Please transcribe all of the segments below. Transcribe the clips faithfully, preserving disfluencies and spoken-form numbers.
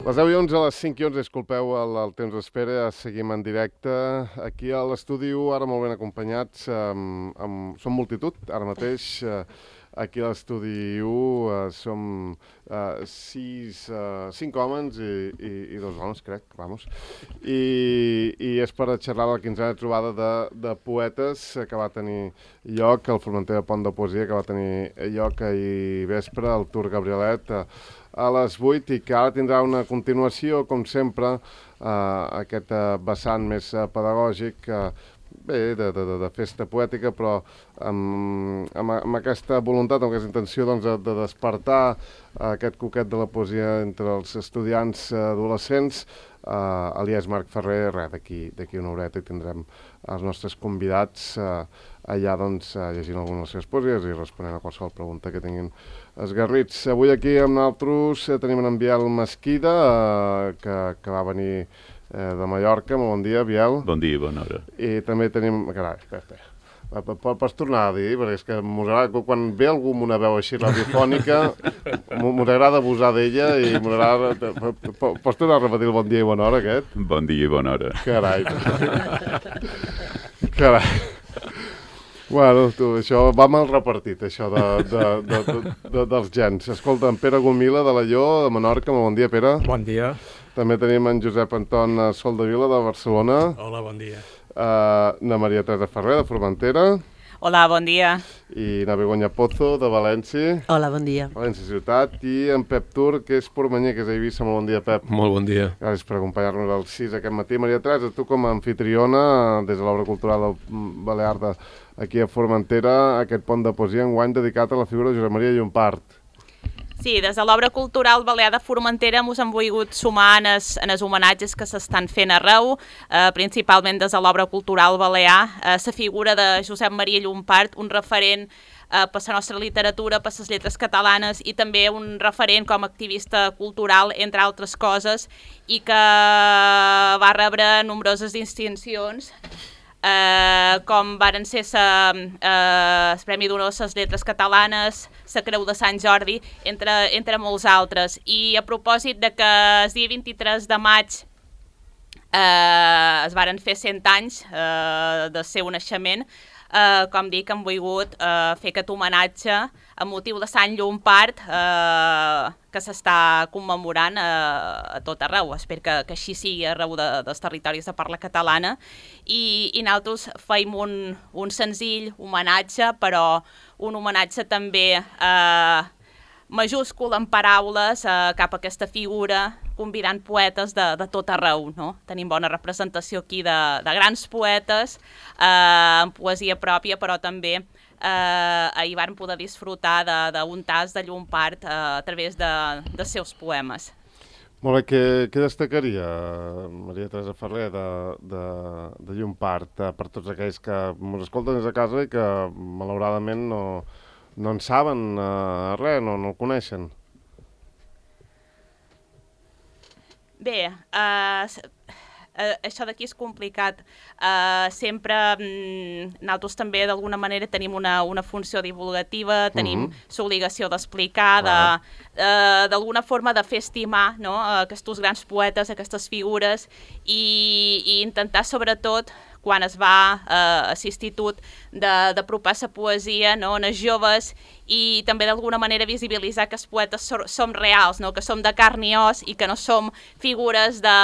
Les deu i onze, a les cinc i onze, disculpeu el, el temps d'espera, seguim en directe aquí a l'estudi u, ara molt ben acompanyats, amb, amb, som multitud, ara mateix, eh, aquí a l'estudi u eh, som eh, sis, eh, cinc homes i, i, i dos dones, crec, vamos, i, i és per xerrar la quinzena trobada de, de poetes que va tenir lloc al Formentera Pont de Poesia, que va tenir lloc ahir vespre, al Tour Gabrielet, eh, a les vuit, i que ara tindrà una continuació, com sempre, eh, aquest eh, vessant més eh, pedagògic, eh, bé, de, de, de festa poètica, però amb, amb, amb aquesta voluntat, amb aquesta intenció doncs, de, de despertar eh, aquest coquet de la poesia entre els estudiants eh, adolescents. Uh, alias Marc Ferrer, res, d'aquí una horeta i tindrem els nostres convidats uh, allà doncs, uh, llegint algunes de les seves poesies i responent a qualsevol pregunta que tinguin esgarrits. Avui aquí amb nosaltres uh, tenim en Biel Mesquida, uh, que, que va venir uh, de Mallorca. Molt bon dia, Biel. Bon dia i bona hora. I també tenim... Carai, espera, espera. Pots tornar a dir, perquè és que m'agrada, quan ve algú amb una veu així radiofònica, m'agrada abusar d'ella i m'agrada... Pots tornar a repetir el bon dia i bona hora, aquest? Bon dia i bona hora. Carai. Carai. Bueno, tu, això va mal repartit, això de, de, de, de, de, dels gens. Escolta, en Pere Gomila, de l'Alló, de Menorca. Bon dia, Pere. Bon dia. També tenim en Josep Anton Soldevila, de Barcelona. Hola, bon dia. Uh, na Maria Teresa Ferrer, de Formentera. Hola, bon dia. I na Begoña Pozo, de València. Hola, bon dia. València Ciutat. I en Pep Tur, que és pormanyer, que és a Eivissa. Molt bon dia, Pep. Molt bon dia. Gràcies per acompanyar-nos al sis aquest matí. Maria Teresa, tu com a anfitriona, des de l'obra cultural del Balear de, aquí a Formentera, aquest pont de poesia enguany dedicat a la figura de Josep Maria Llompart. Sí, des de l'obra cultural Balear de Formentera mos hem volgut sumar en els, en els homenatges que s'estan fent arreu, eh, principalment des de l'obra cultural Balear, eh, la figura de Josep Maria Llompart, un referent eh, per la nostra literatura, per les lletres catalanes, i també un referent com a activista cultural, entre altres coses, i que va rebre nombroses distincions, Uh, com varen ser sa, uh, el Premi d'Honor a les Lletres Catalanes, la Creu de Sant Jordi, entre, entre molts altres. I a propòsit de que el dia vint-i-tres de maig uh, es varen fer cent anys uh, del seu naixement, uh, com dic, hem volgut uh, fer aquest homenatge a motiu de Sant Llompart, uh, que s'està commemorant uh, a tot arreu. Espero que, que així sigui arreu de, dels territoris de parla catalana. I, i nosaltres feim un, un senzill homenatge, però un homenatge també eh, majúscul en paraules eh, cap a aquesta figura, convidant poetes de, de tot arreu, no? Tenim bona representació aquí de, de grans poetes, eh, en poesia pròpia, però també eh, ahir van poder disfrutar d'un tas de Llompart eh, a través de, dels seus poemes. Molt bé, què, què destacaria, Maria Teresa Ferrer, de, de, de Llompart, eh, per tots aquells que ens escolten des de casa i que malauradament no, no en saben eh, res, no, no el coneixen? Bé, eh, eh, això d'aquí és complicat. Eh, sempre mm, nosaltres també d'alguna manera tenim una, una funció divulgativa, tenim uh-huh. l'obligació d'explicar, de, eh, d'alguna forma de fer estimar, no? Aquests grans poetes, aquestes figures, i, i intentar sobretot, quan es va eh, a l'institut, d'apropar la poesia, no? En els joves, i també d'alguna manera visibilitzar que els poetes so, som reals, no? Que som de carn i os i que no som figures de,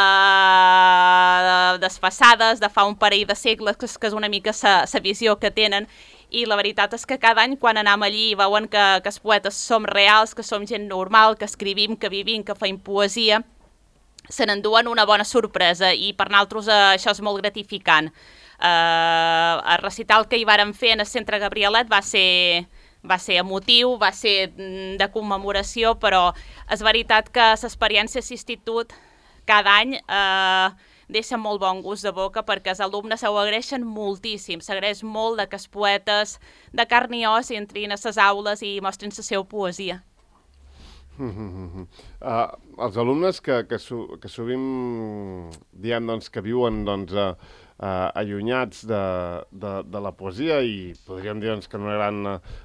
de, desfasades de fa un parell de segles, que, que és una mica la visió que tenen. I la veritat és que cada any quan anem allí veuen que, que els poetes som reals, que som gent normal, que escrivim, que vivim, que feim poesia, se n'enduen una bona sorpresa, i per nosaltres eh, això és molt gratificant. Eh, el recital que hi vàrem fer en el Centre Gabrielet va ser, va ser emotiu, va ser de commemoració, però és veritat que l'experiència a l'institut cada any eh, deixa molt bon gust de boca, perquè els alumnes ho agraeixen moltíssim, s'agraeix molt de que els poetes de carn i os entrin a les aules i mostrin la seva poesia. Uh, els alumnes que, que, so, que sovint diem doncs, que viuen doncs, a, uh, allunyats de, de, de la poesia i podríem dir doncs, que una gran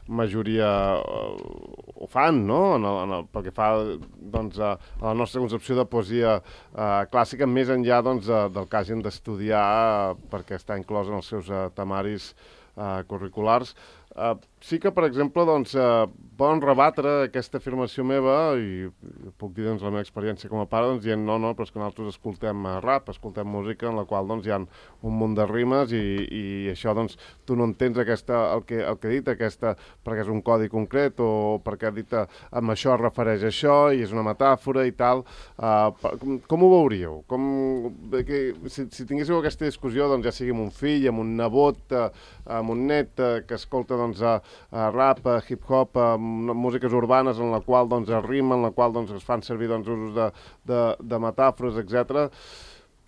majoria uh, ho fan, no? En el, en el, pel que fa doncs, a, a la nostra concepció de poesia uh, clàssica, més enllà doncs, uh, del que hagin d'estudiar uh, perquè està inclòs en els seus uh, temaris uh, curriculars. Uh, sí que, per exemple, doncs, uh, poden rebatre aquesta afirmació meva i puc dir doncs, la meva experiència com a pare doncs, dient no, no, però és que nosaltres escoltem uh, rap, escoltem música en la qual doncs, hi ha un munt de rimes i, i això doncs, tu no entens aquesta, el, que, el que he dit aquesta, perquè és un codi concret o perquè ha dit uh, amb això es refereix a això i és una metàfora i tal. Uh, com, com ho veuríeu? Com, que, si, si tinguéssiu aquesta discussió, doncs, ja sigui amb un fill, amb un nebot, uh, amb un net uh, que escolta doncs, a, a rap, a hip-hop, a músiques urbanes en la qual doncs, es rima, en la qual doncs, es fan servir doncs, usos de, de, de metàfores, etcètera.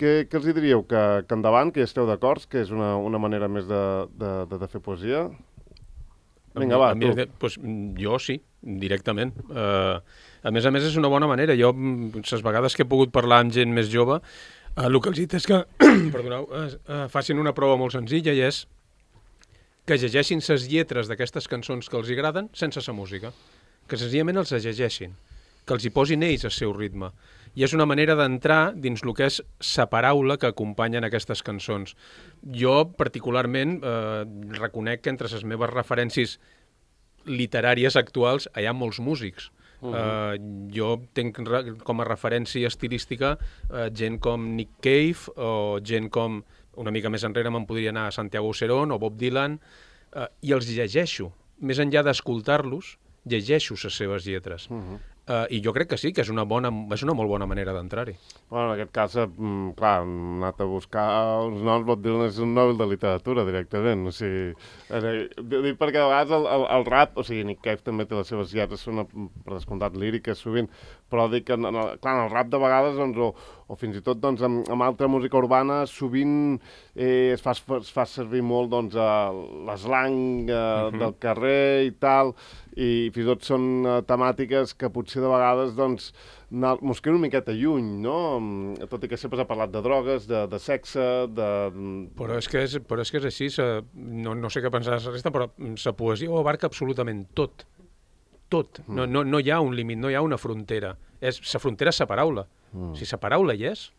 Què, què els diríeu? Que, que endavant, que hi esteu d'acord, que és una, una manera més de, de, de, de fer poesia? Vinga, va, tu. Pues, jo sí, directament. Uh, a més a més, és una bona manera. Jo, les vegades que he pogut parlar amb gent més jove, uh, el que els dic és que perdoneu, uh, uh, facin una prova molt senzilla i és que llegeixin les lletres d'aquestes cançons que els agraden sense la música, que senzillament els llegeixin, que els hi posin ells el seu ritme. I és una manera d'entrar dins el que és la paraula que acompanyen aquestes cançons. Jo, particularment, eh, reconec que entre les meves referències literàries actuals hi ha molts músics. Uh -huh. uh, jo tinc com a referència estilística uh, gent com Nick Cave o gent com, una mica més enrere me'n podria anar a Santiago Aucerón o Bob Dylan, uh, i els llegeixo. Més enllà d'escoltar-los, llegeixo les seves lletres. Uh -huh. Uh, I jo crec que sí, que és una, bona, és una molt bona manera d'entrar-hi. Bueno, en aquest cas, eh, clar, hem anat a buscar uns noms, Bob Dylan és un Nobel de literatura, directament. O sigui, eh, dic perquè a vegades el, el, el rap, o sigui, Nick Cave també té les seves lletres, són, per descomptat, líriques sovint, però dic que, en el, clar, en el rap de vegades, doncs, o, o fins i tot doncs, amb, amb altra música urbana, sovint eh, es, fa, es fa servir molt doncs, l'eslang eh, uh -huh. del carrer i tal, i fins i tot són uh, temàtiques que potser de vegades doncs, mos queden una miqueta lluny, no? Tot i que sempre s'ha parlat de drogues, de, de sexe, de... Però és que és, però és, que és així, sa, no, no sé què pensar la resta, però la poesia ho abarca absolutament tot. Tot. Mm. No, no, no hi ha un límit, no hi ha una frontera. És, la frontera és la paraula. Mm. Si la paraula hi és,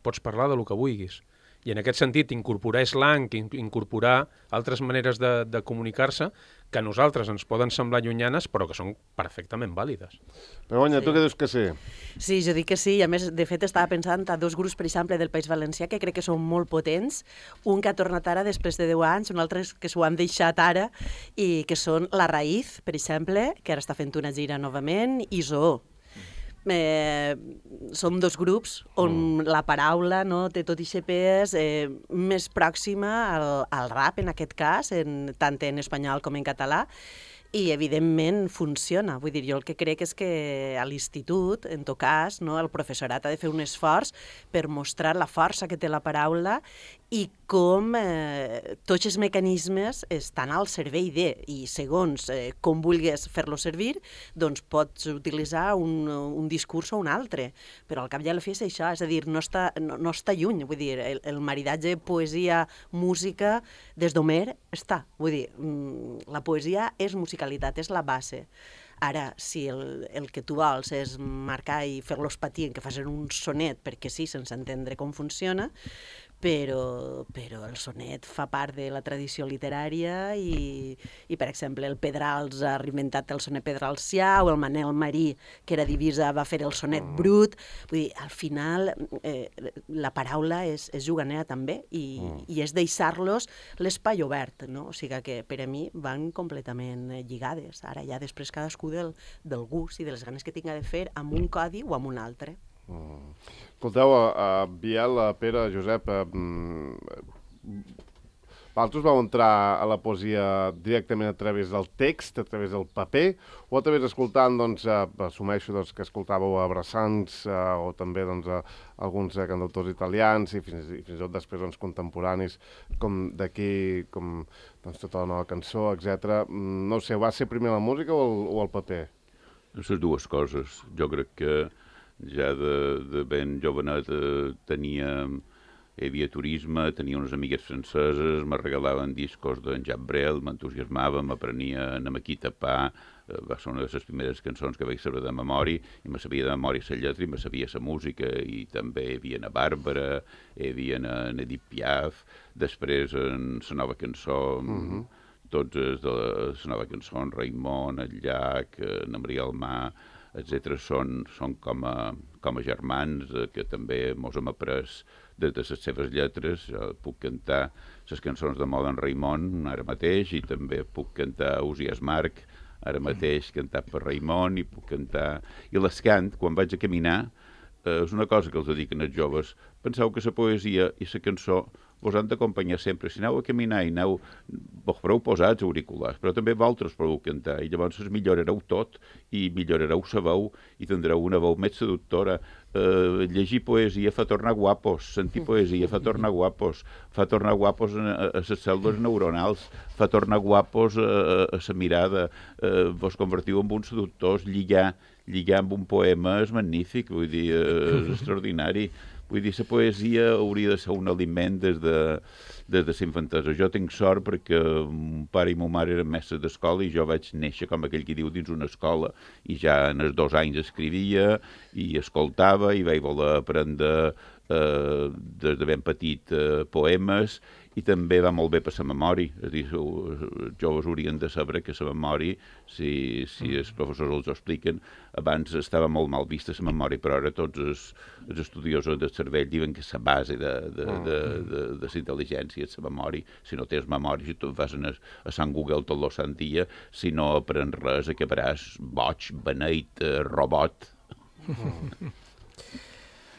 pots parlar de lo que vulguis. I en aquest sentit, incorporar slang, incorporar altres maneres de, de comunicar-se que a nosaltres ens poden semblar llunyanes, però que són perfectament vàlides. Begoña, sí. Tu què dius que sí? Sí, jo dic que sí. I a més, de fet, estava pensant a dos grups, per exemple, del País Valencià, que crec que són molt potents. Un que ha tornat ara després de deu anys, un altre que s'ho han deixat ara, i que són La Raïz, per exemple, que ara està fent una gira novament, i Zoo. Eh, són dos grups on mm. la paraula no, té tot aquest pes eh, més pròxima al, al rap, en aquest cas, en, tant en espanyol com en català, i evidentment funciona. Vull dir, jo el que crec és que a l'institut, en tot cas, no, el professorat ha de fer un esforç per mostrar la força que té la paraula i com eh, tots els mecanismes estan al servei de, i segons eh, com vulguis fer-lo servir, doncs pots utilitzar un, un discurs o un altre, però al cap i a la fi és això, és a dir, no està, no, no està lluny, vull dir, el, el maridatge poesia-música des d'Homer està, vull dir, la poesia és musicalitat, és la base. Ara, si el, el que tu vols és marcar i fer-los patir en que facin un sonet, perquè sí, sense entendre com funciona, però, però el sonet fa part de la tradició literària i, i per exemple, el Pedrals ha reinventat el sonet pedralsià, o el Manel Marí, que era divisa, va fer el sonet brut. Vull dir, al final, eh, la paraula és, és juganera també, i, mm. i és deixar-los l'espai obert, no? O sigui que per a mi van completament lligades. Ara ja després cadascú del, del gust i de les ganes que tinga de fer amb un codi o amb un altre. Mm. Escolteu, a, a Biel, a Pere, a Josep, a, vosaltres vau entrar a la poesia directament a través del text, a través del paper, o a través escoltant, doncs, a, assumeixo doncs, que escoltàveu a Brassans a, o també doncs, a, a alguns a, cantautors italians i fins, i fins i tot després doncs, contemporanis com d'aquí, com doncs, tota la nova cançó, etcètera. No sé, va ser primer la música o el, o el paper? Les dues coses. Jo crec que ja de, de ben jovenet eh, tenia hi havia turisme, tenia unes amigues franceses, me regalaven discos d'en Jacques Brel, m'entusiasmava, m'aprenia a Maquita Pa, va ser una de les primeres cançons que vaig saber de memòria, i me sabia de memòria la lletra i me sabia la música, i també hi havia a Bàrbara, hi havia a Edith Piaf, després en la nova cançó, uh-huh. tots els de la nova cançó, en Raimon, el Llach, en Maria Almà, etcètera, són, són com, a, com a germans eh, que també mos hem après des de les seves lletres. Jo puc cantar les cançons de moda en Raimon ara mateix, i també puc cantar Usias Marc, ara mateix cantat per Raimon, i puc cantar... I l'escant, quan vaig a caminar, eh, és una cosa que els dediquen els joves. Penseu que la poesia i la cançó vos han d'acompanyar sempre. Si aneu a caminar i aneu... Vos fareu posats auriculars, però també vosaltres podeu cantar, i llavors es millorareu tot, i millorareu la veu, i tindreu una veu més seductora. Uh, llegir poesia fa tornar guapos, sentir poesia fa tornar guapos, fa tornar guapos a, a, a les cèl·lules neuronals, fa tornar guapos a, a la mirada, uh, vos convertiu en uns seductors, lligar, lligar amb un poema és magnífic, vull dir, uh, és extraordinari. Vull dir, la poesia hauria de ser un aliment des de, des de la infantesa. Jo tinc sort perquè mon pare i ma mare eren mestres d'escola i jo vaig néixer, com aquell que diu, dins una escola, i ja en els dos anys escrivia i escoltava i vaig voler aprendre eh, des de ben petit eh, poemes, i també va molt bé per la memòria. És a dir, els joves haurien de saber que la memòria, si, si els professors els ho expliquen, abans estava molt mal vista la memòria, però ara tots els, els estudiosos del cervell diuen que la base de, de, de, de, de la intel·ligència és la memòria. Si no tens memòria, si tu vas a, a Sant Google tot el sant dia, si no aprens res, acabaràs boig, beneit, robot.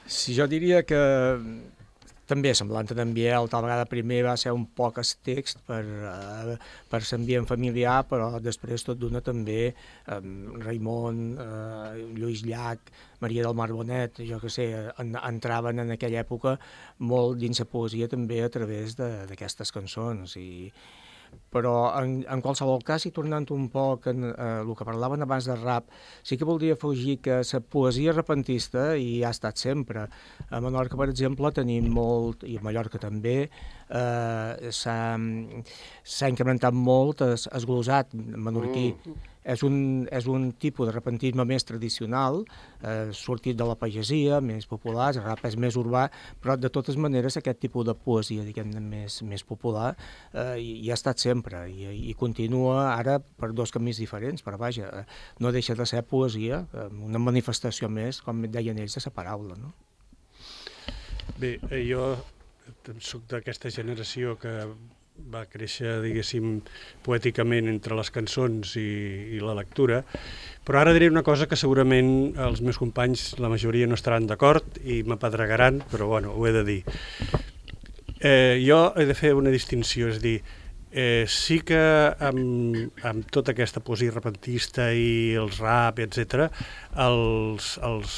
Si jo diria que també semblant a en Biel, tal vegada primer va ser un poc el text per, uh, per l'ambient familiar, però després tot d'una també um, Raimon, uh, Lluís Llach, Maria del Mar Bonet, jo que sé, en, entraven en aquella època molt dins la poesia també a través d'aquestes cançons. I, però en, en qualsevol cas, i tornant un poc en eh, el que parlaven abans de rap, sí que voldria afegir que la poesia repentista hi ha estat sempre. A Menorca, per exemple, tenim molt, i a Mallorca també, eh, s'ha incrementat molt el, el glosat menorquí. Mm. És un, és un tipus de repentisme més tradicional, eh, sortit de la pagesia, més popular, el rap és més urbà, però de totes maneres aquest tipus de poesia, diguem-ne, més, més popular, eh, hi, hi ha estat sempre, i, i continua ara per dos camins diferents, però vaja, no deixa de ser poesia, una manifestació més, com deien ells, de la paraula, no? Bé, jo soc d'aquesta generació que va créixer, diguéssim, poèticament entre les cançons i, i la lectura, però ara diré una cosa que segurament els meus companys, la majoria, no estaran d'acord i m'apedregaran, però bueno, ho he de dir. Eh, jo he de fer una distinció, és dir, eh, sí que amb, amb tota aquesta poesia repentista i els rap, etcètera, els, els,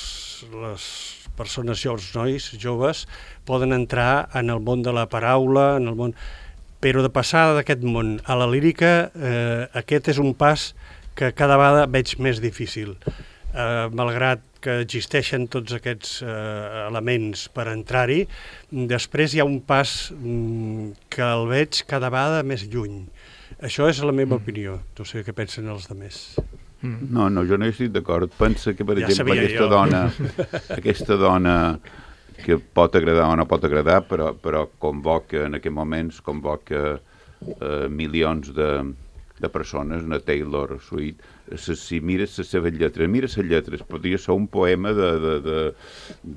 les persones joves, nois, joves, poden entrar en el món de la paraula, en el món... Però de passar d'aquest món a la lírica, eh, aquest és un pas que cada vegada veig més difícil. Eh, malgrat que existeixen tots aquests eh, elements per entrar-hi, després hi ha un pas mm, que el veig cada vegada més lluny. Això és la meva opinió. No sé què pensen els altres. No, no, jo no hi estic d'acord. Pensa que, per ja exemple, aquesta jo. dona, aquesta dona que pot agradar o no pot agradar, però, però convoca, en aquests moments, convoca eh, milions de, de persones, una Taylor Swift. Si mires les seves lletres, mira les lletres, podria ser un poema de, de, de,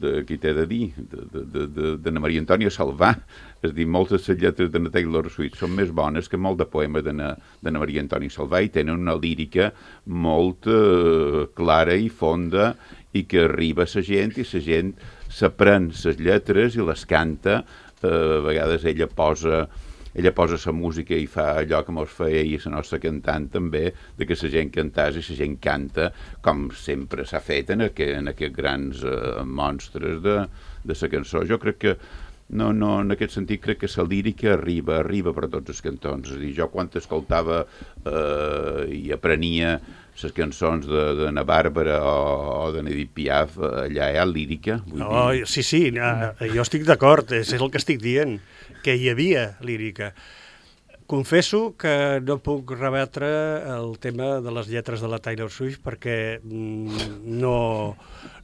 de qui t'he de dir, de, de, de, de Maria Antònia Salvà. És a dir, moltes de les lletres de Taylor Swift són més bones que molt de poemes de, de Maria Antònia Salvà i tenen una lírica molt eh, clara i fonda i que arriba a la gent i la gent s'aprèn les lletres i les canta. Eh, a vegades ella posa ella posa la música i fa allò que mos feia i la nostra cantant també, de que la gent cantàs i la gent canta, com sempre s'ha fet en, aqu en aquests grans eh, monstres de, de la cançó. Jo crec que No, no, en aquest sentit crec que la lírica arriba, arriba per tots els cantons. És a dir, jo quan escoltava eh, i aprenia les cançons d'Anna Bàrbara o, o de Edith Piaf, allà hi ha lírica. Vull oh, dir... Sí, sí, no, jo estic d'acord, és el que estic dient, que hi havia lírica. Confesso que no puc rebatre el tema de les lletres de la Taylor Swift perquè no,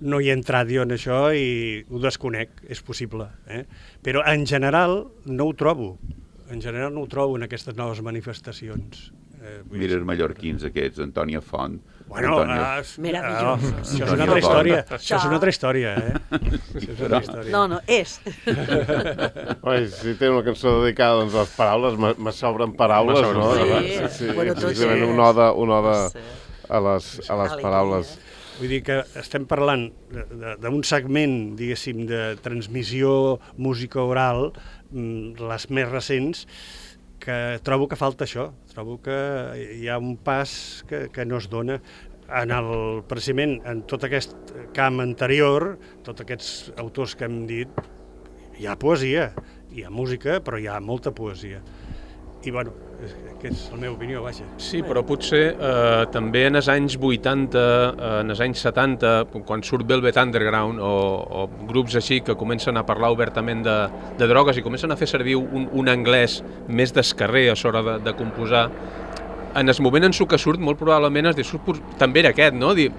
no hi he entrat jo en això i ho desconec, és possible. Eh? Però en general no ho trobo, en general no ho trobo en aquestes noves manifestacions. Eh, Mira els mallorquins aquests, Antònia Font. Bueno, Antònia... ah, Meravellós. ah, això és una altra història, això és una altra història, eh? Això és una altra història. No, no, és. Oi, si té una cançó dedicada doncs, a les paraules, me, me sobren paraules, sobren no? paraules. Sí, sí, sí. Bueno, tots Precisament és. un ode, un ode Sí. a les, a les paraules. Vull dir que estem parlant d'un segment, diguéssim, de transmissió música oral, les més recents, que trobo que falta això, trobo que hi ha un pas que, que no es dona. En el, precisament, en tot aquest camp anterior, tots aquests autors que hem dit, hi ha poesia, hi ha música, però hi ha molta poesia. I, bueno, que és la meva opinió, vaja. Sí, però potser eh, també en els anys vuitanta, eh, en els anys setanta, quan surt Velvet Underground o, o grups així que comencen a parlar obertament de, de drogues i comencen a fer servir un, un anglès més d'escarrer a l'hora de, de composar, en el moment en què surt, molt probablement el discurs també era aquest, no? Dir,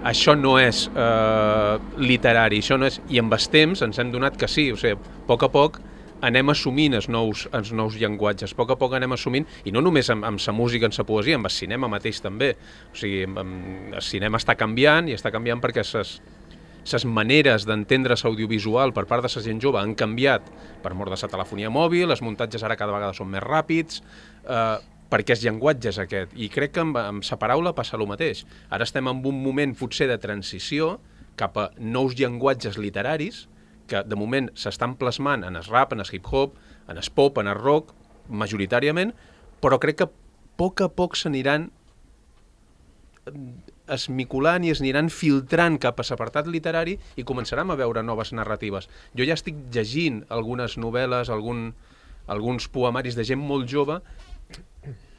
això no és eh, literari, això no és... I amb el temps ens hem donat que sí, o sigui, a poc a poc anem assumint els nous, els nous llenguatges, a poc a poc anem assumint, i no només amb, amb la música, amb la poesia, amb el cinema mateix també. O sigui, amb, el cinema està canviant, i està canviant perquè ses, ses maneres d'entendre l'audiovisual per part de la gent jove han canviat per mort de la telefonia mòbil, els muntatges ara cada vegada són més ràpids, eh, perquè el llenguatge és aquest. I crec que amb, amb la paraula passa el mateix. Ara estem en un moment potser de transició cap a nous llenguatges literaris, que de moment s'estan plasmant en el rap, en el hip-hop, en el pop, en el rock, majoritàriament, però crec que a poc a poc s'aniran esmiculant i es aniran filtrant cap a l'apartat literari i començarem a veure noves narratives. Jo ja estic llegint algunes novel·les, algun, alguns poemaris de gent molt jove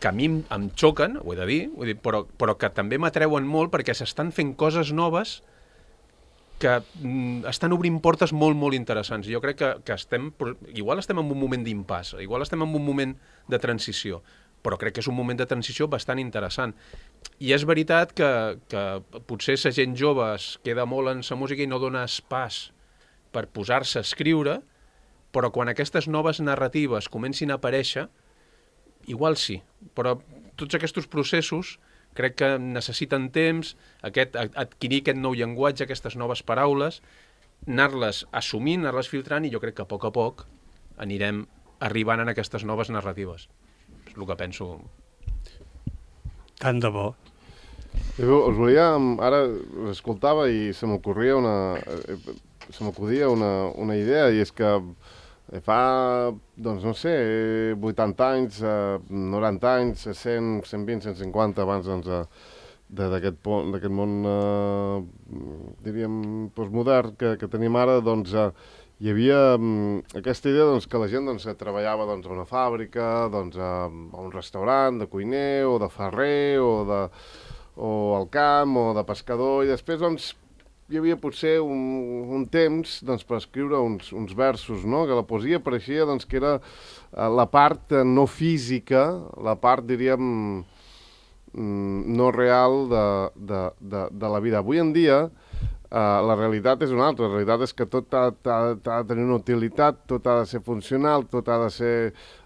que a mi em, em xoquen, ho he de dir, vull dir però, però que també m'atreuen molt perquè s'estan fent coses noves que mm, estan obrint portes molt, molt interessants. Jo crec que, que estem, igual estem en un moment d'impàs, igual estem en un moment de transició, però crec que és un moment de transició bastant interessant. I és veritat que, que potser la gent jove es queda molt en la música i no dona pas per posar-se a escriure, però quan aquestes noves narratives comencin a aparèixer, igual sí, però tots aquests processos crec que necessiten temps, aquest, adquirir aquest nou llenguatge, aquestes noves paraules, anar-les assumint, anar-les filtrant, i jo crec que a poc a poc anirem arribant en aquestes noves narratives. És el que penso. Tant de bo. Us volia, ara escoltava i se m'ocorria una, se m'acudia una, una idea, i és que fa, doncs no sé, vuitanta anys, noranta anys, cent, cent vint, cent cinquanta, abans doncs, d'aquest món, eh, diríem, postmodern que, que tenim ara, doncs eh, hi havia um, aquesta idea doncs, que la gent doncs, treballava doncs, a una fàbrica, doncs, a, a un restaurant de cuiner o de ferrer o, de, o al camp o de pescador, i després doncs, hi havia potser un, un temps doncs, per escriure uns, uns versos, no? Que la poesia pareixia doncs, que era uh, la part uh, no física, la part, diríem, mm, no real de, de, de, de la vida. Avui en dia, uh, la realitat és una altra. La realitat és que tot ha, ha, ha de tenir una utilitat, tot ha de ser funcional, tot ha de ser...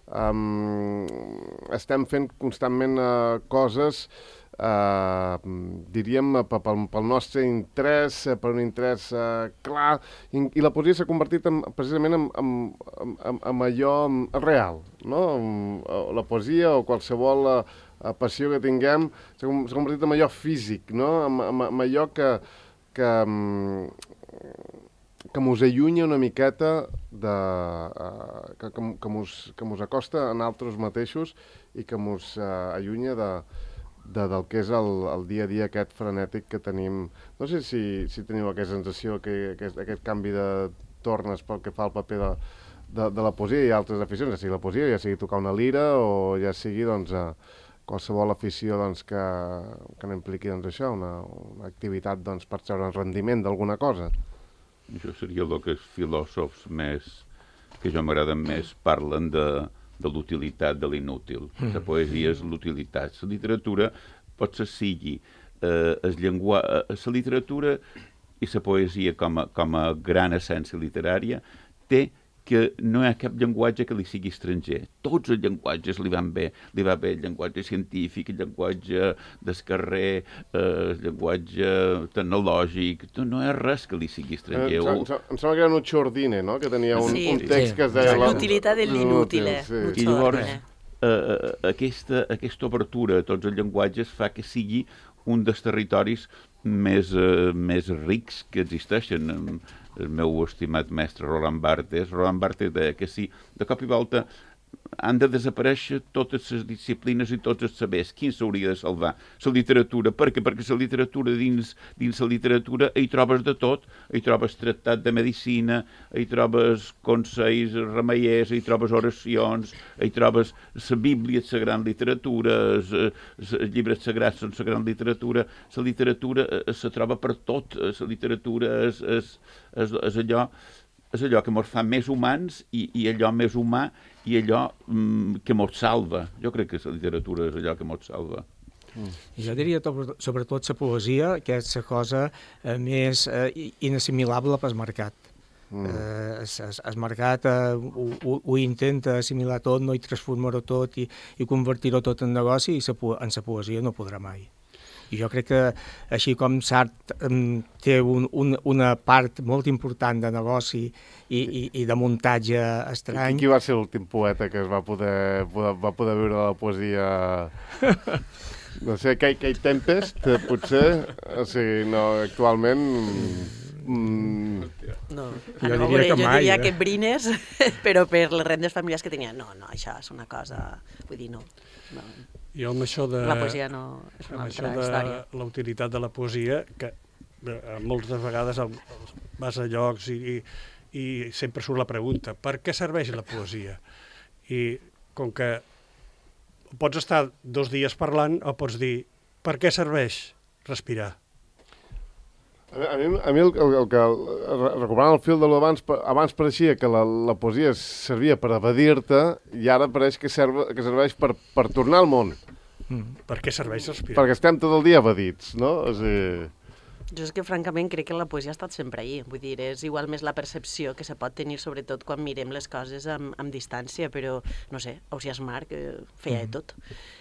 Um, estem fent constantment uh, coses Uh, diríem pel, pel nostre interès, per un interès uh, clar, i, i la poesia s'ha convertit en, precisament en, en, en, en allò real, no? La poesia o qualsevol uh, passió que tinguem s'ha convertit en allò físic, no? En, en, en allò que que, que mos allunya una miqueta de, uh, que, que, que, mos, que mos acosta a nosaltres mateixos i que mos uh, allunya de De, del que és el, el dia a dia aquest frenètic que tenim. No sé si, si teniu aquesta sensació, que, aquest, aquest canvi de tornes pel que fa al paper de, de, de la poesia i altres aficions, ja sigui la poesia, ja sigui tocar una lira o ja sigui doncs, a, qualsevol afició doncs, que, que n'impliqui doncs, això, una, una activitat doncs, per treure rendiment d'alguna cosa. Això seria el que els filòsofs més, que jo m'agraden més, parlen de, de l'utilitat de l'inútil. La poesia és l'utilitat. La literatura pot ser sigui eh, el llengua... La literatura i la poesia com a, com a gran essència literària té que no hi ha cap llenguatge que li sigui estranger. Tots els llenguatges li van bé. Li va bé el llenguatge científic, el llenguatge del carrer, eh, el llenguatge tecnològic. No hi ha res que li sigui estranger. Eh, em, em sembla que era Nuccio Ordine, no?, que tenia un, sí, un text sí. que es deia... L'utilitat de l'inútil, eh? Sí. I llavors, eh, aquesta, aquesta obertura a tots els llenguatges fa que sigui un dels territoris més, eh, més rics que existeixen. El meu estimat mestre Roland Barthes, Roland Barthes deia que si de cop i volta han de desaparèixer totes les disciplines i tots els sabers, quin s'hauria de salvar? La literatura. Per què? Perquè la literatura, dins, dins la literatura, hi trobes de tot. Hi trobes tractat de medicina, hi trobes consells remeiers, hi trobes oracions, hi trobes la Bíblia, la gran literatura, els llibres sagrats són la gran literatura. La literatura se troba per tot. La literatura és, és, és, és allò és allò que ens fa més humans i, i allò més humà i allò mm, que ens salva. Jo crec que la literatura és allò que ens salva. Mm. Jo diria to- sobretot la poesia, que és la cosa eh, més eh, inassimilable pel mercat. Mm. Eh, es, es, el mercat eh, ho, ho, ho intenta assimilar tot, no, i transformar-ho tot i, i convertir-ho tot en negoci, i sa, en la poesia no podrà mai. I jo crec que, així com Sartre um, té un, un, una part molt important de negoci i, i, i de muntatge estrany... I qui va ser l'últim poeta que es va poder, poder, va poder viure la poesia... No sé, Kate, Kate Tempest, potser? O sigui, no, actualment... Mm... No, Jo no, diria que jo mai, diria eh? que Brines, però per les rendes familiars que tenia. No, no, això és una cosa... Vull dir, no. no. Jo amb això de... La poesia no és una amb altra això de història. la utilitat de la poesia, que eh, moltes vegades el, vas a llocs i, i, i sempre surt la pregunta, per què serveix la poesia? I com que pots estar dos dies parlant o pots dir, per què serveix respirar? A mi, a mi el, el, el que, recuperant el fil de l'abans, abans pareixia que la, la poesia servia per evadir-te i ara pareix que, serve, que serveix per, per tornar al món. Mm. Per què serveix respirar? Perquè estem tot el dia evadits, no? O sigui... Jo és que, francament, crec que la poesia ha estat sempre ahí. Vull dir, és igual més la percepció que se pot tenir, sobretot quan mirem les coses amb, amb distància, però, no sé, Ausiàs Marc eh, feia de tot.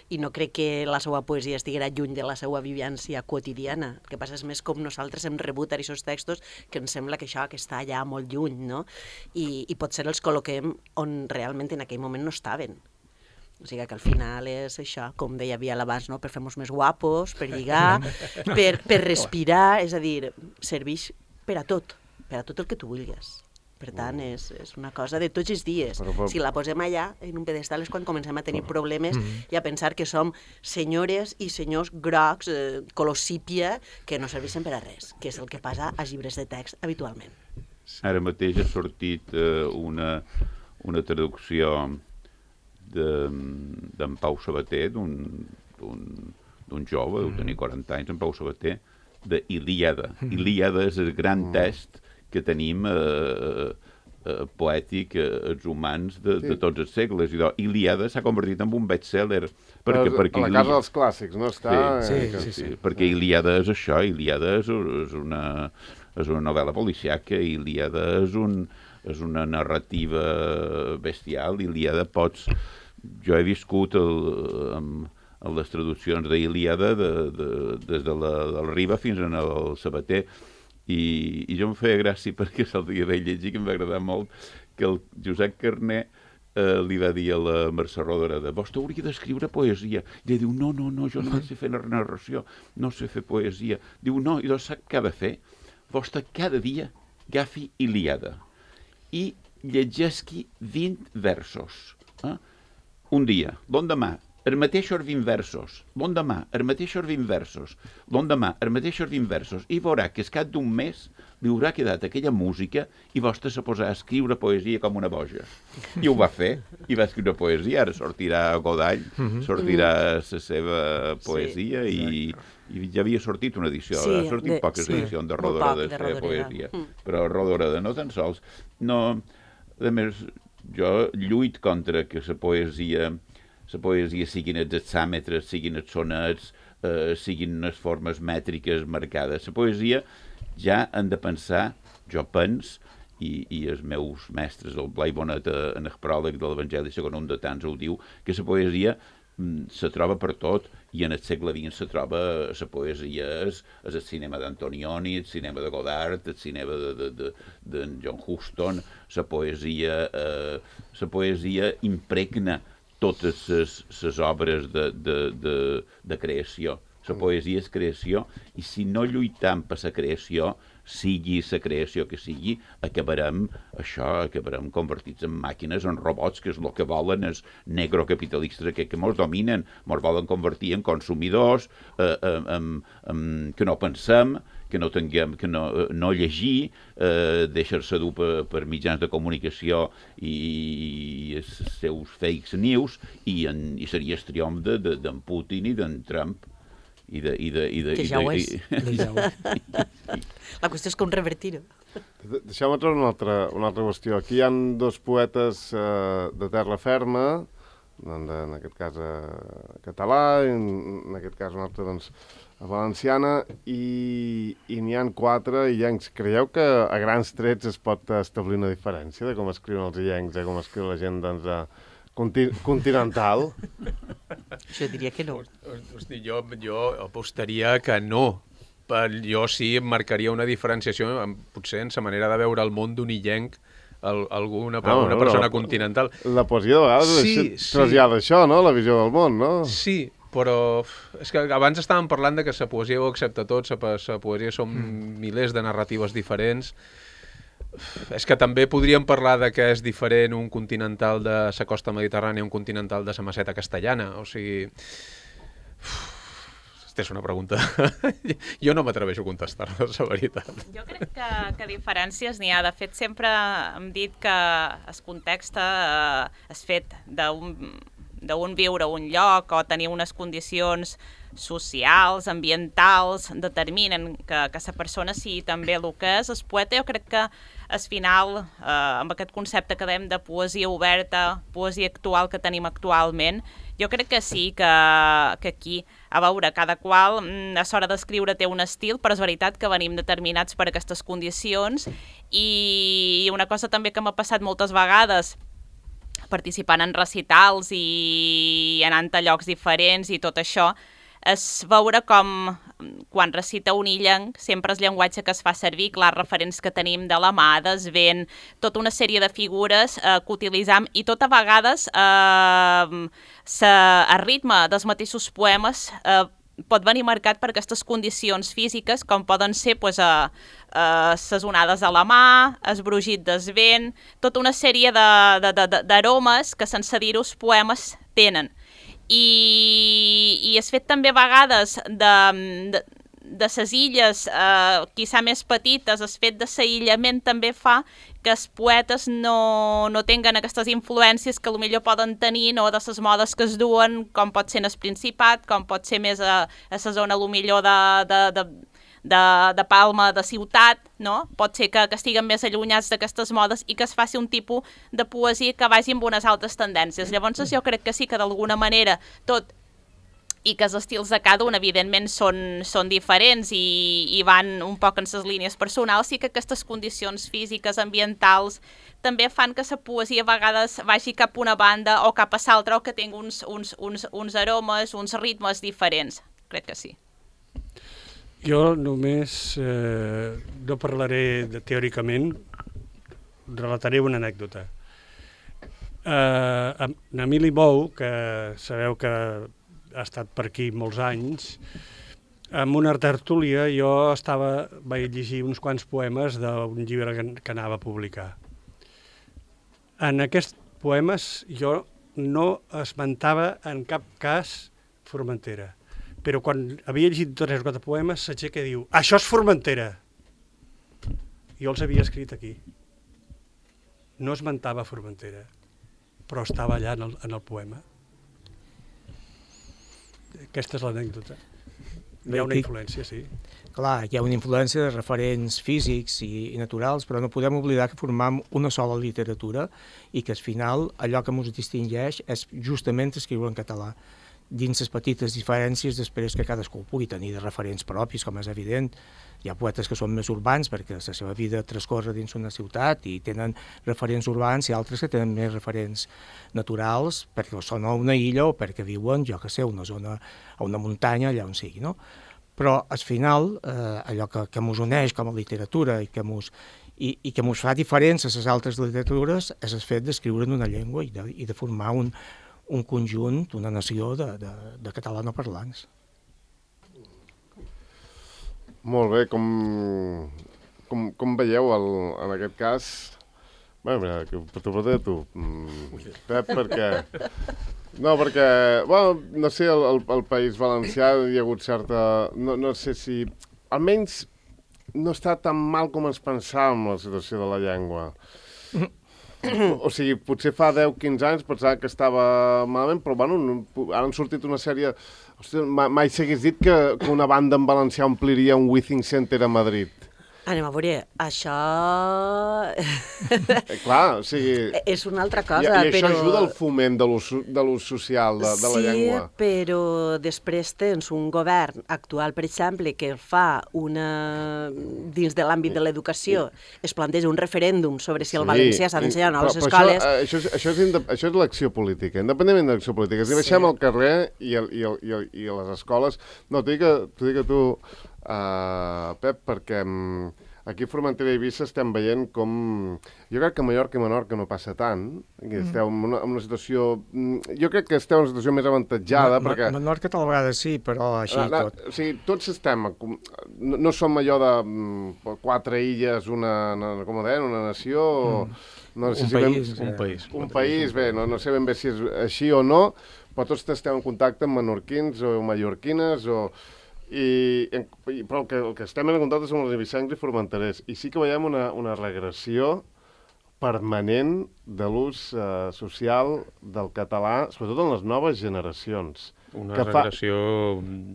I no crec que la seva poesia estiguera lluny de la seva vivència quotidiana. El que passa és més com nosaltres hem rebut aquests textos que ens sembla que això que està allà molt lluny, no? I, i potser els col·loquem on realment en aquell moment no estaven. O sigui que al final és això, com deia Biel abans, no? Per fer-nos més guapos, per lligar, per, per respirar, és a dir, serveix per a tot, per a tot el que tu vulguis. Per tant, és, és una cosa de tots els dies. Però, però... Si la posem allà, en un pedestal, és quan comencem a tenir problemes i a pensar que som senyores i senyors grocs, eh, color sípia, que no serveixen per a res, que és el que passa als llibres de text habitualment. Ara mateix ha sortit eh, una, una traducció d'en Pau Sabater, d'un jove, deu tenir quaranta anys, en Pau Sabater, d'Ilíada. Ilíada és el gran text que tenim eh, eh, poètic eh, els humans de, sí. de tots els segles. I Ilíada s'ha convertit en un best-seller. Perquè, a perquè la Ilíada... casa dels clàssics, no? Està... Sí, eh, sí, sí, sí, sí. perquè Ilíada és això, Ilíada és, és, una, és una novel·la policiaca, Ilíada és, un, és una narrativa bestial, Ilíada pots... Jo he viscut el, amb, amb les traduccions d'Ilíada de, de, des de la, del Riba fins al Sabater, i, i jo em feia gràcia perquè se'l dia vaig llegir, que em va agradar molt, que el Josep Carner eh, li va dir a la Mercè Rodoreda, vostè hauria d'escriure poesia. I ell diu, no, no, no, jo no sé fer narració, no sé fer poesia. Diu, no, i doncs sap què ha de fer? Vostè cada dia agafi Ilíada i llegeixi vint versos. Eh? Un dia, l'endemà, els mateixos vint versos, l'endemà, els mateixos vint versos, l'endemà, els mateixos vint versos, i veurà que al cap d'un mes li haurà quedat aquella música i vostè se posarà a escriure poesia com una boja. I ho va fer, i va escriure poesia, ara sortirà Godall, sortirà la seva poesia i, i ja havia sortit una edició, sí, ha sortit de, poques sí, edicions de Rodoreda de, de, de poesia, mm. però Rodoreda no tan sols. No, a més, jo lluit contra que la poesia, la poesia siguin els hexàmetres, siguin els sonets, eh, siguin unes formes mètriques marcades. La poesia ja han de pensar, jo pens, i, i els meus mestres, el Blai Bonet en el pròleg de l'Evangeli segon un de tants ho diu, que la poesia mm, se troba per tot, i en el segle vint se troba la poesia, és, és el cinema d'Antonioni, el cinema de Godard, el cinema de, de, de, de John Huston, la poesia, eh, la poesia impregna totes les obres de, de, de, de creació. La poesia és creació, i si no lluitam per la creació, sigui la creació que sigui, acabarem, això, acabarem convertits en màquines, en robots, que és el que volen els negrocapitalistes que, que mos dominen, mos volen convertir en consumidors, eh, en, en, en, que no pensem, que no tinguem, que no, no llegir, eh, deixar-se dur per, per mitjans de comunicació i, i els seus fake news, i, en, i seria el triomf d'en de, de, Putin i d'en Trump. I de, i de, i de, que ja ho és. La qüestió és com revertir-ho. Deixeu-me treure una altra, una altra qüestió. Aquí hi ha dos poetes eh, de terra ferma, en, en aquest cas eh, català, en, en aquest cas un altre doncs, a valenciana, i, i n'hi ha quatre illencs. Creieu que a grans trets es pot establir una diferència de com escriuen els illencs, de com escriu la gent doncs, a, Conti continental? Jo diria que no. Hosti, jo, jo apostaria que no. Per, jo sí marcaria una diferenciació, potser en la manera de veure el món d'un illenc, el, alguna ah, una persona la, continental. La poesia de vegades sí, sí. trasllada això, no? La visió del món, no? Sí, però és que abans estàvem parlant de que la poesia ho accepta tot, la poesia són mm. milers de narratives diferents. És que també podríem parlar de què és diferent un continental de la costa mediterrània i un continental de la meseta castellana. O sigui... Aquesta és una pregunta. Jo no m'atreveixo a contestar-la, la veritat. Jo crec que, que diferències n'hi ha. De fet, sempre hem dit que el context eh, és fet d'un viure a un lloc o tenir unes condicions socials, ambientals, determinen que, que la persona sigui també el que és. El poeta, jo crec que al final, eh, amb aquest concepte que dèiem de poesia oberta, poesia actual que tenim actualment, jo crec que sí, que, que aquí, a veure, cada qual a l'hora d'escriure té un estil, però és veritat que venim determinats per aquestes condicions, i una cosa també que m'ha passat moltes vegades, participant en recitals i anant a llocs diferents i tot això, és veure com quan recita un illenc sempre el llenguatge que es fa servir, clar, referents que tenim de la mà, desvent, tota una sèrie de figures eh, que utilitzam, i tot a vegades eh, sa, el ritme dels mateixos poemes eh, pot venir marcat per aquestes condicions físiques, com poden ser pues, eh, eh, ses onades a la mà, el brugit del vent, tota una sèrie d'aromes que sense dir-ho els poemes tenen. I, i és fet també a vegades de, de, de ses illes, eh, quizà més petites, el fet de l'aïllament també fa que els poetes no, no tinguen aquestes influències que potser poden tenir, no, de les modes que es duen, com pot ser en el Principat, com pot ser més a, a la zona potser de, de, de, de, de Palma, de ciutat, no? Pot ser que, que estiguen més allunyats d'aquestes modes i que es faci un tipus de poesia que vagi amb unes altres tendències. Llavors jo crec que sí que d'alguna manera tot, i que els estils de cada un evidentment són, són diferents i, i van un poc en les línies personals, sí que aquestes condicions físiques, ambientals, també fan que la poesia a vegades vagi cap a una banda o cap a l'altra, o que tingui uns, uns, uns, uns aromes, uns ritmes diferents. Crec que sí. Jo només eh, no parlaré de, teòricament, relataré una anècdota. Eh, en Emili Bou, que sabeu que ha estat per aquí molts anys, en una tertúlia jo estava, vaig llegir uns quants poemes d'un llibre que, que anava a publicar. En aquests poemes jo no esmentava en cap cas Formentera. Però quan havia llegit tres o quatre poemes s'aixeca i diu això és Formentera. Jo els havia escrit aquí. No esmentava Formentera, però estava allà en el, en el poema. Aquesta és l'anècdota. Hi ha una influència, sí. Clar, hi ha una influència de referents físics i, i naturals, però no podem oblidar que formam una sola literatura i que al final allò que ens distingeix és justament escriure en català, dins les petites diferències després que cadascú pugui tenir de referents propis, com és evident. Hi ha poetes que són més urbans perquè la seva vida transcorre dins una ciutat i tenen referents urbans, i altres que tenen més referents naturals perquè són a una illa o perquè viuen, jo que sé, a una zona, a una muntanya, allà on sigui, no? Però al final eh, allò que, que ens uneix com a literatura i que ens i, i que ens fa diferents a les altres literatures és el fet d'escriure en una llengua i de, i de formar un, un conjunt, una nació de, de, de catalanoparlants. Molt bé, com, com, com veieu el, en aquest cas? Bé, mira, que t'ho pregunto a tu, Pep, perquè... No, perquè, bueno, no sé, el, el, el País Valencià hi ha hagut certa... No, no sé si... Almenys no està tan mal com ens pensàvem la situació de la llengua. O sigui, potser fa deu o quinze anys pensava que estava malament, però bueno, ara han sortit una sèrie... Hòstia, mai s'hagués dit que, que una banda en valencià ompliria un Withing Center a Madrid. Anem a veure, això... Eh, clar, o sigui... És una altra cosa, I, i això però... ajuda al foment de l'ús social de, de la llengua. Sí, però després tens un govern actual, per exemple, que fa una... dins de l'àmbit de l'educació, es planteja un referèndum sobre si el Sí, valencià s'ha d'ensenyar a les però escoles... Això, això, és, això, és, inde- això és l'acció política, independentment de l'acció política. Si Sí. baixem al carrer i, el, i, el, i, el, i a les escoles... No, t'ho dic a, t'ho dic a tu, uh, Pep, perquè um, aquí a Formentera i Eivissa estem veient com... Jo crec que a Mallorca i Menorca no passa tant, que esteu en una, en una situació... Jo crec que esteu en una situació més avantatjada, Ma, perquè... Menorca tal vegada sí, però així Ah, tot. O sigui, tots estem... No, no som allò de mm, quatre illes, una, una, com ho deien, una nació... Mm. No sé Un si ben- país, Un eh. país. un país, bé, no, no sé ben bé si és així o no, però tots estem en contacte amb menorquins o mallorquines, o, i, i, però el que, el que estem en contacte són els eivissencs i formenterers. I sí que veiem una, una regressió permanent de l'ús eh, social del català, sobretot en les noves generacions. Una que fa, regressió...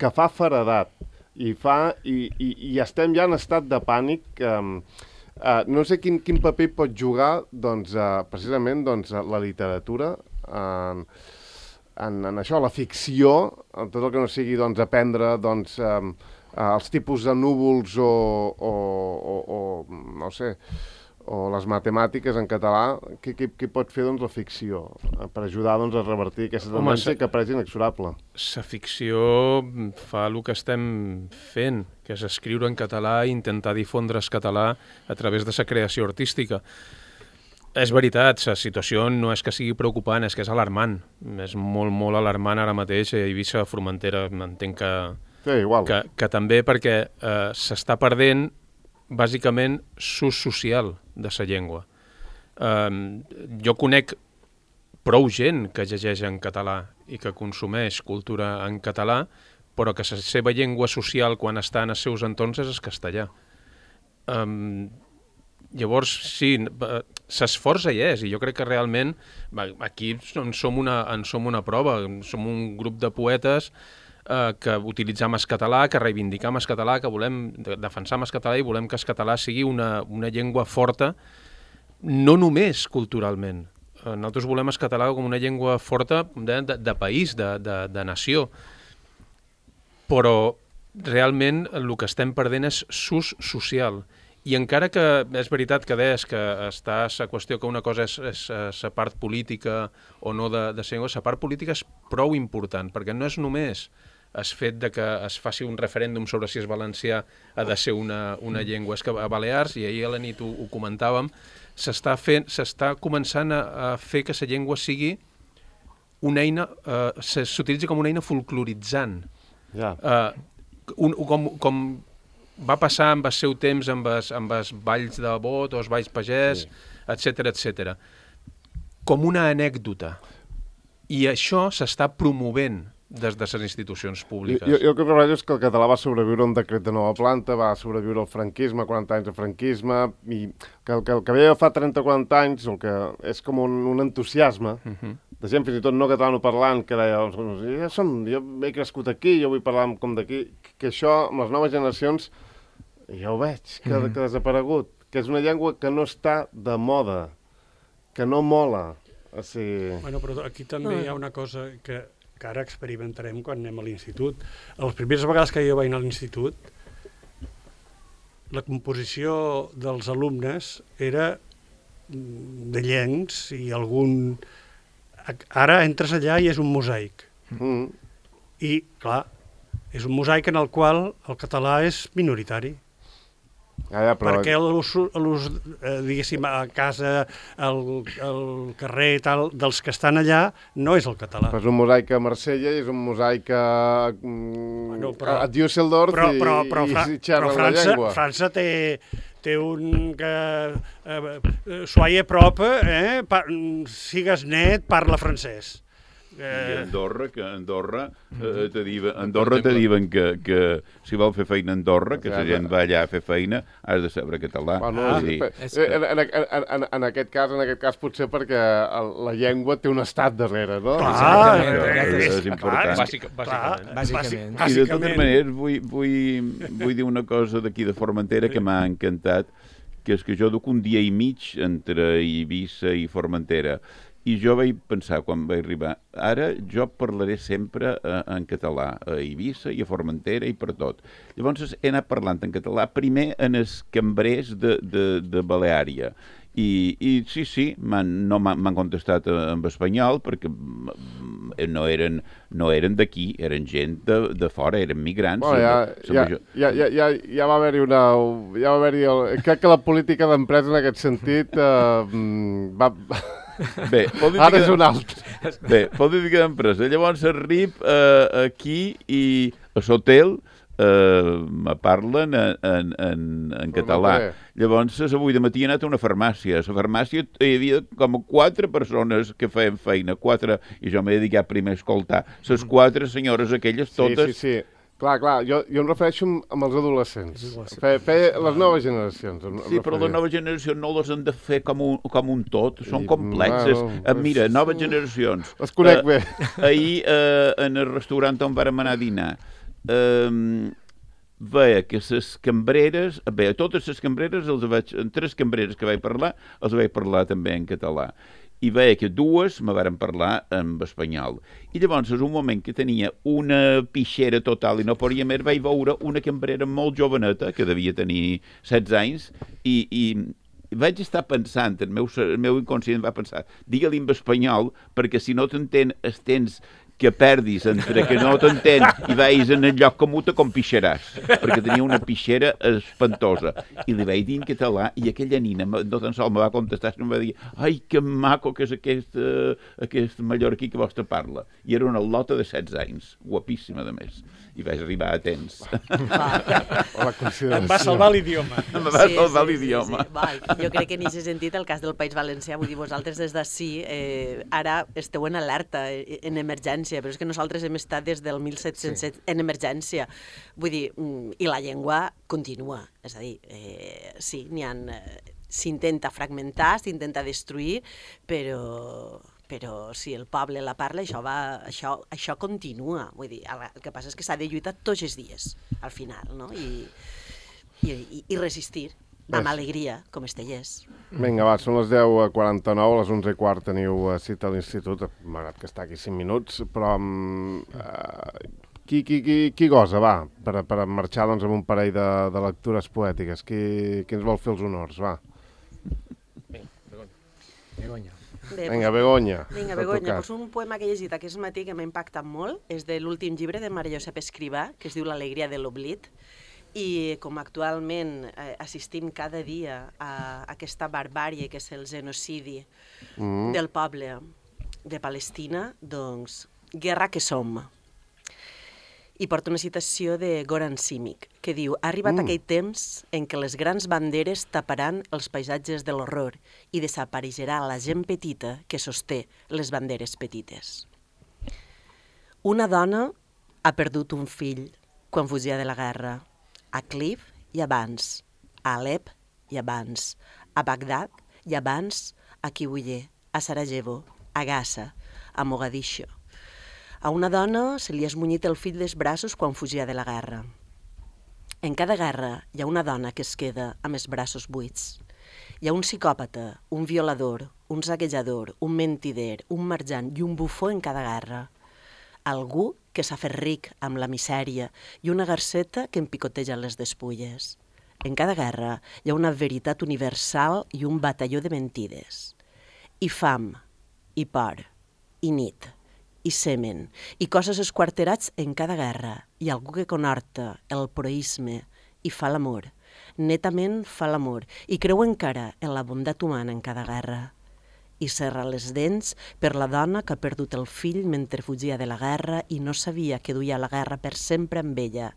que fa feredat i, fa, i, i, i estem ja en estat de pànic. Eh, Uh, no sé quin, quin paper pot jugar doncs, uh, precisament doncs, la literatura en, en, en això, la ficció, en tot el que no sigui doncs, aprendre doncs, um, uh, els tipus de núvols o, o, o, o no sé, o les matemàtiques en català. Què, què, què pot fer doncs, la ficció uh, per ajudar doncs, a revertir aquesta tendència que pareix inexorable? La ficció fa el que estem fent, que és escriure en català i intentar difondre el català a través de la creació artística. És veritat, la situació no és que sigui preocupant, és que és alarmant. És molt, molt alarmant ara mateix a Eivissa, a Formentera, m'entenc que, Sí, igual. que, que també perquè eh, s'està perdent bàsicament l'ús social de la llengua. Eh, jo conec prou gent que llegeix en català i que consumeix cultura en català, però que la seva llengua social quan està en els seus entorns és el castellà. Um, llavors, sí, l'esforç hi és, i jo crec que realment aquí en som una, en som una prova, som un grup de poetes eh, que utilitzam el català, que reivindicam el català, que volem defensar el català i volem que el català sigui una, una llengua forta, no només culturalment. Nosaltres volem el català com una llengua forta de, de, de país, de, de, de nació, però realment el que estem perdent és s'ús social. I encara que és veritat que deies que està la qüestió que una cosa és, és la part política o no de, de llengua, la part política és prou important, perquè no és només el fet de que es faci un referèndum sobre si és valencià ha de ser una, una llengua. És que a Balears, i ahir a la nit ho, ho comentàvem, s'està fent, s'està començant a, a fer que la llengua sigui una eina, eh, s'utilitza com una eina folcloritzant. Ja. Uh, un, com, com va passar amb el seu temps amb els, amb els balls de bot o els balls pagès, sí. etcètera, etcètera. Com una anècdota. I això s'està promovent des de les institucions públiques. Jo, jo el que rebrà és que el català va sobreviure a un decret de nova planta, va sobreviure al franquisme, quaranta anys de franquisme, i que el que, el que veia fa trenta o quaranta anys, el que és com un, un entusiasme uh -huh. de gent, fins i tot no catalanoparlant, que deia, ja som, jo he crescut aquí, jo vull parlar com d'aquí, que això, amb les noves generacions, ja ho veig, que, uh -huh. que ha desaparegut, que és una llengua que no està de moda, que no mola. O sigui... Bueno, però aquí també hi ha una cosa que que ara experimentarem quan anem a l'institut. A les primeres vegades que jo vaig anar a l'institut, la composició dels alumnes era de llencs i algun... Ara entres allà i és un mosaic. Mm. I, clar, és un mosaic en el qual el català és minoritari. Ah, ja, però... Perquè l'ús, eh, diguéssim, a casa, al, al carrer i tal, dels que estan allà, no és el català. Però és un mosaic a Marsella i és un mosaic a, bueno, però, a Düsseldorf però, però, però, i, i xerren però França, la llengua. França té, té un... que eh, soia prop, eh, pa, sigues net, parla francès. I Andorra, que Andorra eh, te diuen, Andorra te diuen que, que si vol fer feina a Andorra, que la gent va allà a fer feina, has de saber català. Bueno, ah, dir, en, en, en, en, en, aquest cas, en aquest cas potser perquè la llengua té un estat darrere, no? Clar, és, és important. Bàsic, bàsicament. Bàsicament. I de totes maneres vull, vull, vull dir una cosa d'aquí de Formentera que m'ha encantat, que és que jo duc un dia i mig entre Eivissa i Formentera. I jo vaig pensar, quan vaig arribar, ara jo parlaré sempre eh, en català, a Eivissa i a Formentera i per tot. Llavors he anat parlant en català, primer en els cambrers de, de, de Baleària. I, i sí, sí, m'han no m'han contestat en espanyol perquè no eren, no eren d'aquí, eren gent de, de fora, eren migrants. Bueno, ja, ja, ja, ja, ja, ja va haver-hi una... Ja va haver-hi el, crec que la política d'empresa en aquest sentit eh, va... Bé, ara és un altre. Bé, política d'empresa. Llavors arrib eh, aquí i a l'hotel eh, me parlen en, en, en, en català. Llavors, avui de matí he anat a una farmàcia. A la farmàcia hi havia com quatre persones que feien feina, quatre, i jo m'he dedicat primer a escoltar. Les quatre senyores aquelles, totes... Sí, sí, sí. Clar, clar, jo, jo em refereixo amb els adolescents. Fe, fe, les noves generacions. Em, sí, em però les noves generacions no les han de fer com un, com un tot, són I, complexes. Bueno, eh, mira, noves generacions. Les conec eh, bé. Ahir, eh, en el restaurant on vàrem anar a dinar, eh, veia que les cambreres, bé, a totes les cambreres, els vaig, en tres cambreres que vaig parlar, els vaig parlar també en català. I veia que dues me varen parlar en espanyol. I llavors, en un moment que tenia una pixera total i no podia més, vaig veure una cambrera molt joveneta, que devia tenir setze anys, i, i vaig estar pensant, el meu, el meu inconscient va pensar, digue-li en espanyol, perquè si no t'entén, es tens que perdis entre que no t'entén i vagis en el lloc comú te compixeràs, perquè tenia una pixera espantosa. I li vaig dir en català i aquella nina no tan sols me va contestar, sinó em va dir ai, que maco que és aquest, uh, aquest mallorquí que vostè parla. I era una lota de setze anys, guapíssima de més. I vaig arribar a temps. Em va salvar l'idioma. Em va sí, salvar sí, l'idioma. Sí, sí. Va, jo crec que en aquest sentit, el cas del País Valencià, vull dir, vosaltres des d'ací, eh, ara esteu en alerta, en emergència, però és que nosaltres hem estat des del mil set-cents set sí. en emergència. Vull dir, i la llengua continua. És a dir, eh, sí, n'hi ha... S'intenta fragmentar, s'intenta destruir, però... però si el poble la parla, això, va, això, això continua. Vull dir, el que passa és que s'ha de lluitar tots els dies, al final, no? I, i, i resistir amb alegria, com Estellers. Vinga, va, són les deu quaranta-nou, a les onze i quart teniu cita a l'institut, malgrat que està aquí cinc minuts, però um, uh, qui, qui, qui, qui gosa, va, per, per marxar doncs, amb un parell de, de lectures poètiques? Qui, qui ens vol fer els honors, va? Begoña. Bé, vinga, Begoña. Vinga, Begoña, doncs un poema que he llegit aquest matí que m'ha impactat molt, és de l'últim llibre de Maria Josep Escrivà, que es diu L'alegria de l'oblit, i com actualment eh, assistim cada dia a aquesta barbàrie que és el genocidi mm. del poble de Palestina, doncs, guerra que som. I porta una citació de Goran Simic, que diu: ha arribat mm. aquell temps en què les grans banderes taparan els paisatges de l'horror i desapareixerà la gent petita que sosté les banderes petites. Una dona ha perdut un fill quan fugia de la guerra. A Cliv i abans, a Alep i abans, a Bagdad i abans, a Kibuye, a Sarajevo, a Gaza, a Mogadiscio. A una dona se li ha esmunyit el fill dels braços quan fugia de la guerra. En cada guerra hi ha una dona que es queda amb els braços buits. Hi ha un psicòpata, un violador, un saquejador, un mentider, un marjant i un bufó en cada guerra. Algú que s'ha fet ric amb la misèria i una garceta que empicoteja les despulles. En cada guerra hi ha una veritat universal i un batalló de mentides. I fam, i por, i nit, i semen, i coses esquarterats en cada guerra, i algú que conhorta el proisme i fa l'amor, netament fa l'amor, i creu encara en la bondat humana en cada guerra. I serra les dents per la dona que ha perdut el fill mentre fugia de la guerra i no sabia que duia la guerra per sempre amb ella,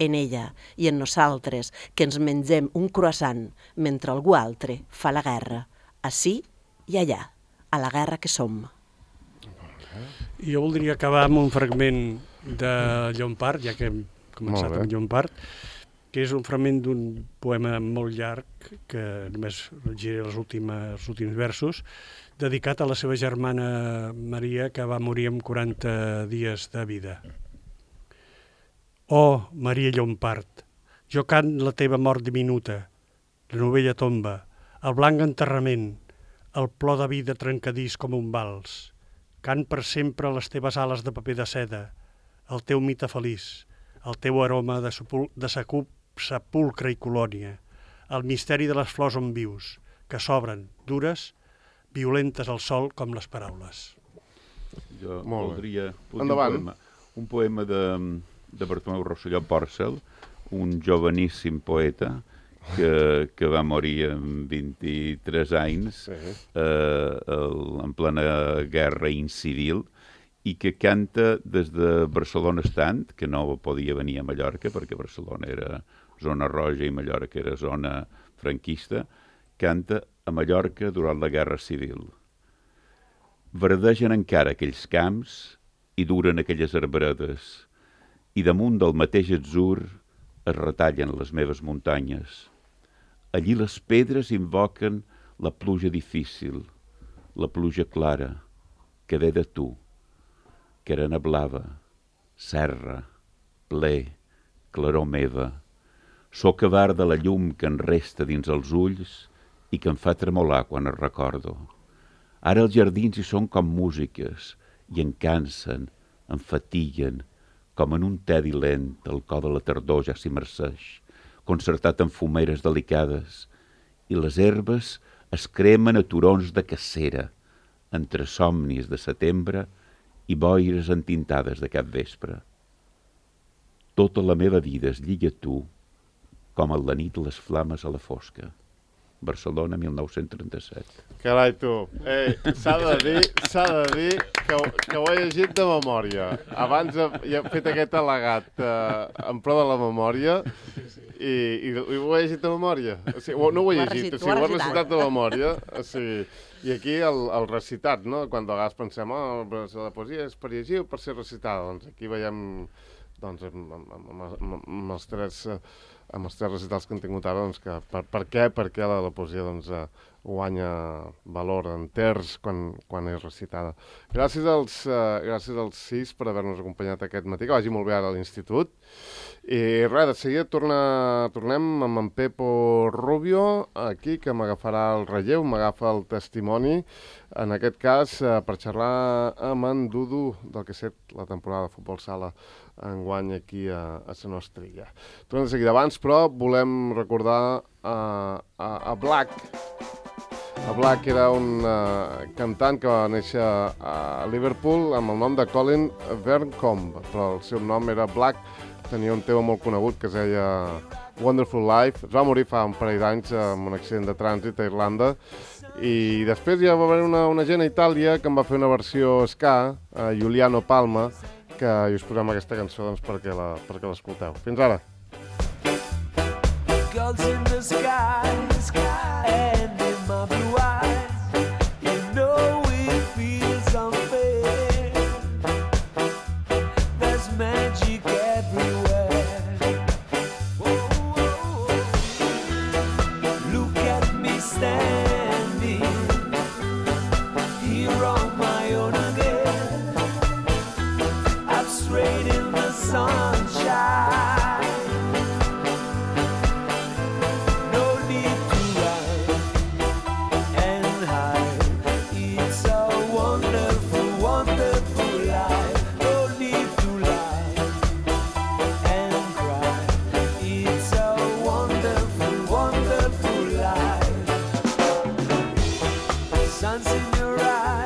en ella i en nosaltres, que ens mengem un croissant mentre algú altre fa la guerra, ací i allà, a la guerra que som. Jo voldria acabar amb un fragment de Llompart, ja que hem començat amb Llompart, que és un fragment d'un poema molt llarg, que només llegiré els últims, els últims versos, dedicat a la seva germana Maria, que va morir amb quaranta dies de vida. Oh, Maria Llompart, jo cant la teva mort diminuta, la novella tomba, el blanc enterrament, el plor de vida trencadís com un vals. Cant per sempre les teves ales de paper de seda, el teu mite feliç, el teu aroma de, sepul de secup, sepulcre i colònia, el misteri de les flors on vius, que s'obren, dures, violentes al sol com les paraules. Jo voldria... Endavant. Un poema, un poema de, de Bartomeu Rosselló Pòrcel, un joveníssim poeta que, que va morir amb vint-i-tres anys sí. eh, el, en plena guerra incivil i que canta des de Barcelona estant, que no podia venir a Mallorca perquè Barcelona era zona roja i Mallorca era zona franquista, canta a Mallorca durant la Guerra Civil. Verdegen encara aquells camps i duren aquelles arbredes i damunt del mateix atzur es retallen les meves muntanyes. Allí les pedres invoquen la pluja difícil, la pluja clara, que ve de tu, que arena blava, serra, ple, claror meva. Soc avar de la llum que en resta dins els ulls i que em fa tremolar quan es recordo. Ara els jardins hi són com músiques i en cansen, em fatiguen, com en un tedi lent el cor de la tardor ja s'immerseix, concertat en fumeres delicades, i les herbes es cremen a turons de cacera, entre somnis de setembre i boires entintades de cap vespre. Tota la meva vida es lliga a tu, com a la nit les flames a la fosca. Barcelona, mil nou-cents trenta-set. Carai, tu. Ei, s'ha de dir, s'ha de dir que, que ho he llegit de memòria. Abans he fet aquest al·legat eh, en pro de la memòria i, i, i ho he llegit de memòria. O sigui, no ho he llegit, o sigui, ho he recitat de memòria. O sigui, i aquí el, el recitat, no? Quan de vegades pensem, oh, la poesia és per llegir o per ser recitada. Doncs aquí veiem, doncs, amb, amb, amb, amb, amb els tres... amb els tres recitals que han tingut ara, doncs, que per, per què, per què la, la poesia doncs, eh, guanya valor enters quan, quan és recitada. Gràcies als, eh, gràcies als sis per haver-nos acompanyat aquest matí, que vagi molt bé ara a l'institut. I res, de seguida torna, tornem amb en Pepo Rubio, aquí, que m'agafarà el relleu, m'agafa el testimoni, en aquest cas, eh, per xerrar amb en Dudu del que ha estat la temporada de futbol sala enguany aquí a, a la nostra illa. Tornem de seguida. Abans, però, volem recordar a, a, a Black. A Black era un uh, cantant que va néixer a Liverpool amb el nom de Colin Verncombe, però el seu nom era Black. Tenia un tema molt conegut que es deia Wonderful Life. Es va morir fa un parell d'anys amb un accident de trànsit a Irlanda. I després ja va haver una, una gent a Itàlia que en va fer una versió ska, uh, Giuliano Palma, que us posem aquesta cançó doncs, perquè la, perquè l'escolteu. Fins ara! Girls in the sky, and in my blue eyes, you know it feels unfair. your eyes.